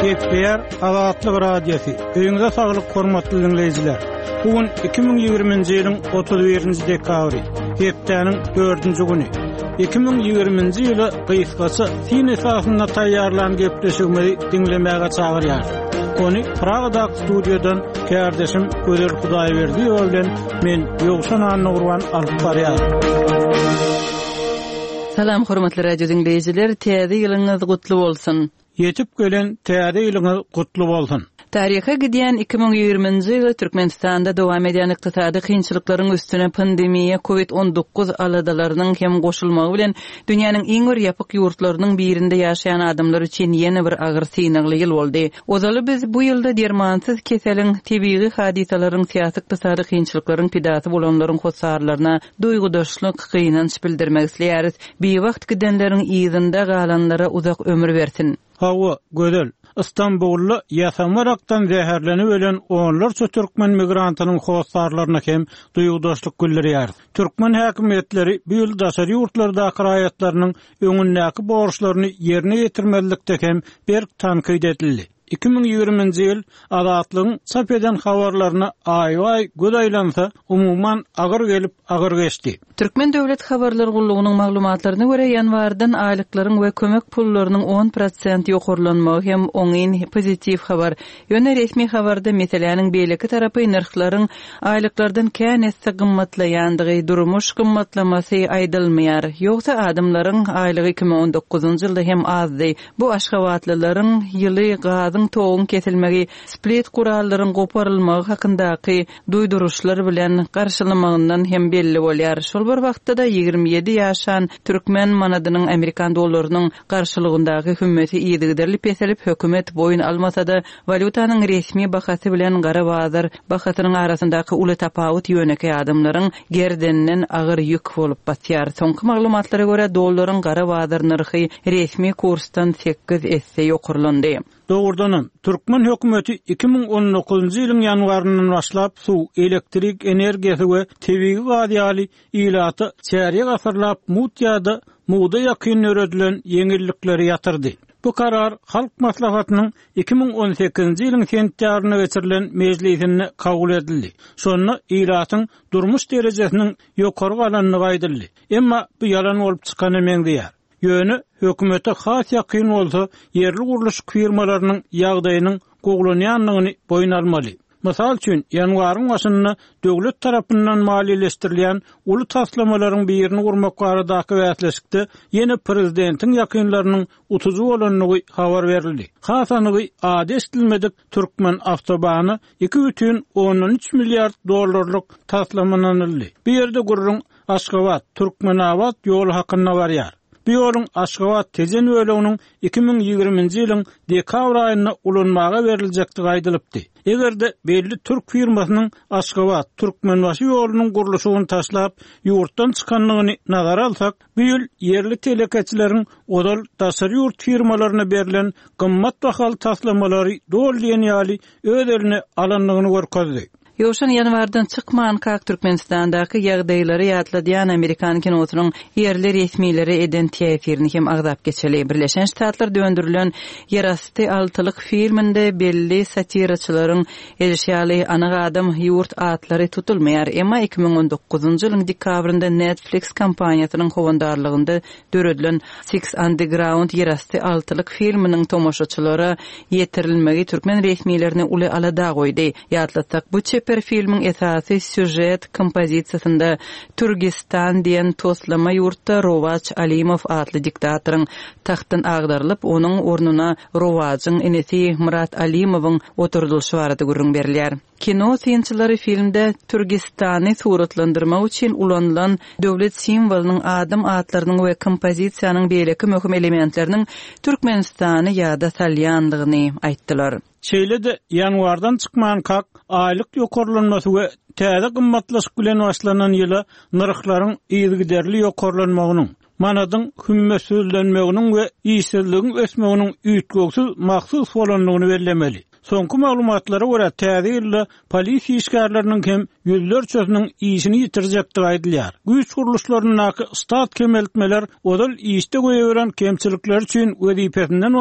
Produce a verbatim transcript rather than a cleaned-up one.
Gepleýär Azatlyk Radiosy. Öýüňize saglyk hormatly diňleýjiler. Bu gün iki müň ýigriminji ýylyň otuz birinji dekabry, hepdäniň dördünji güni. Iki müň ýigriminji ýyla gysgaça syn esasynda taýýarlan gepleşigimizi diňlemäge çagyrýarys. Ony Pragadaky studiýadan kärdeşim Gözel Hudaýberdiýewa bilen men Ýowşan Annagurban alyp barýaryn. Salam hormatly radio diňleýjiler, täze ýylyňyz gutly bolsun. Ýetip gelen täze ýylyňyz gutly bolsun. Taryha gidýän iki müň ýigriminji ýyly Türkmenistanda dowam edýän ykdysady kynçylyklaryň üstüne pandemiýa COVID on dokuz aladalarynyň hem goşulmagy bilen dünýäniň iň bir ýapyk ýurtlarynyň birinde ýaşaýan adamlar üçin ýene bir agyr synagly ýyl boldy. Ozaly biz bu ýylda dermansyz keseliň, tebigy hadysalaryň, syýasy ykdysady kynçylyklaryň pidasy bolanlaryň hossarlaryna duýgudaşlyk, gynanç bildirmek isleýäris. Biwagt gidenleriň yzynda galanlara uzak ömür bersin. Hawa, gözel. İstanbulda ýasamarakdan zäherlenip ölen onlarça türkmen migrantynyň hossarlaryna hem duýgudaşlyk bildirýär. Türkmen häkimiýetleri bu ýyl daşary ýurtlardaky raýatlarynyň öňündäki borçlaryny ýerine ýetirmezlikde hem berk tankyt edildi. Iki müň ýigriminji ýyl Azatlygyň çap eden habarlaryna aý-aý göz aýlansa, umuman agyr gelip agyr geçdi. Türkmen Döwlet Habarlar Gullugynyň maglumatlaryna görä ýanwardan aýlyklaryň we kömek pullarynyň on prosent ýokarlanmagy hem oňyn pozitiw habar. Ýöne resmi habarda meseläniň beýleki tarapy nyrhlaryň aýlyklardan kän esse gymmatlaýandygy, durmuş gymmatlamasy aýdylmaýar. Ýogsa adamlaryň aýlygy iki müň on dokuzynjy ýylda hem azdy. Bu aşgabatlylaryň ýyly gazyň toguň kesilmegi, split gurallaryň goparylmagy hakyndaky duýduryşlar bilen garşylamagyndan hem belli bolýar. Şol bir wagtda da ýigrimi ýedi ýaşan türkmen manadynyň Amerikan dollarynyň garşylygyndaky hümmeti yzygiderli peselip, hökümet boýun almasa-da walýutanyň resmi bahasy bilen gara bazar bahasynyň arasyndaky uly tapawut ýönekeý adamlaryň gerdeninden agyr ýük bolup batýar. Soňky maglumatlara görä dollaryň gara bazar nyrhy resmi kursdan sekiz esse ýokarlandy. Doğrudanam, Türkmen hökümeti iki müň on dokuzunjy ýylyň ýanwaryndan başlap suw, elektrik energiýasy we tebigy gaz ýaly ilata çärýek asyrlap mut ýa-da muda ýakyn döredilen ýeňillikleri ýatyrdy. Bu karar Halk Maslahatynyň iki müň on sekizinji ýylyň sentýabrynda geçirilen mejlisinde kabul edildi. Şonda ilatyň durmuş derejesiniň ýokary galandygy aýdyldy. Emma bu ýalan bolup çykany meňzeýär. Ýöne hökümete has ýakyn bolsa ýerli gurluş firmalarynyň ýagdaýynyň gowlanýandygyny boýun almaly. Mysal üçin, ýanwaryň başynda döwlet tarapyndan maliýeleşdirilýän uly taslamalaryň birini gurmak baradaky bäsleşikde ýene prezidentiň ýakynlarynyň utujy bolandygy habar berildi. Has anygy ady eşidilmedik Türkmen awtobany iki bütin ondan üç milliard dollarlyk taslamananyldy. Bu ýerde gurrun Aşgabat, Türkmenabat ýoly hakynda barýar. Bu ýoluň Aşgabat Tejen böleginiň iki müň ýigriminji ýylyň dekabr aýynda ulanmaga beriljekdigi aýdylypdy. Eger-de belli türk firmasynyň Aşgabat Türkmenbaşy ýolunyň gurluşygyny taşlap ýurtdan çykandygyny nazara alsak, bu ýyl ýerli telekeçileriň ozal daşary ýurt firmalaryna berlen gymmat bahaly taslamalary doly diýen ýaly öz eline alandygyny görkezdi. Ýowşan ýanwardan çykmankak Türkmenistandaky ýagdaýlary ýatladýan Amerikan kinosynyň ýerli resmileri eden täsirini hem agzap geçeli. Birleşen Ştatlar döndürilen Ýerasty altylyk filminde belli satiraçylaryň edişýaly anyk adam ýurt atlary tutulmaýar. Emma iki müň on dokuzunjy ýylyň dekabrynda Netflix kompaniýasynyň howandarlygynda döredilen Six Underground Ýerasty altylyk filminiň tomaşaçylara ýetirilmegi türkmen resmilerini uly alada goýdy. Ýatlatsak, bu çeper filmiň esasy süjet kompozisiýasynda Türkistan diýen toslama ýurtda Rowaç Alimow atly diktatoryň tahtdan agdarylyp, onuň ornuna Rowaçyň inisi Murat Alimowyň oturdylyşy barada gürrüň berilýär. Kino synçylary filmde Türkistany suratlandyrmak üçin ulanylan döwlet simwolynyň adam atlarynyň we kompozisiýanyň beýleki möhüm elementleriniň Türkmenistany ýada salýandygyny aýtdylar. Şeýle-de ýanwardan çykmankak aýlyk ýokarlanmasy we täze gymmatlaşyk bilen başlanan ýyla nyrhlaryň yzygiderli ýokarlanmagynyň, manadyň hümmetsizlenmeginiň we işsizligiň ösmeginiň üýtgewsiz mahsus bolandygyny bellemeli. Soňky maglumatlara görä täze ýylda polis işgärleriniň hem ýüzlerçesiniň işini ýitirjekdigi aýdylýar. Güýç gurluşlaryndaky stat kemeltmeler ozal işde goýberen kemçilikler üçin wezipesinden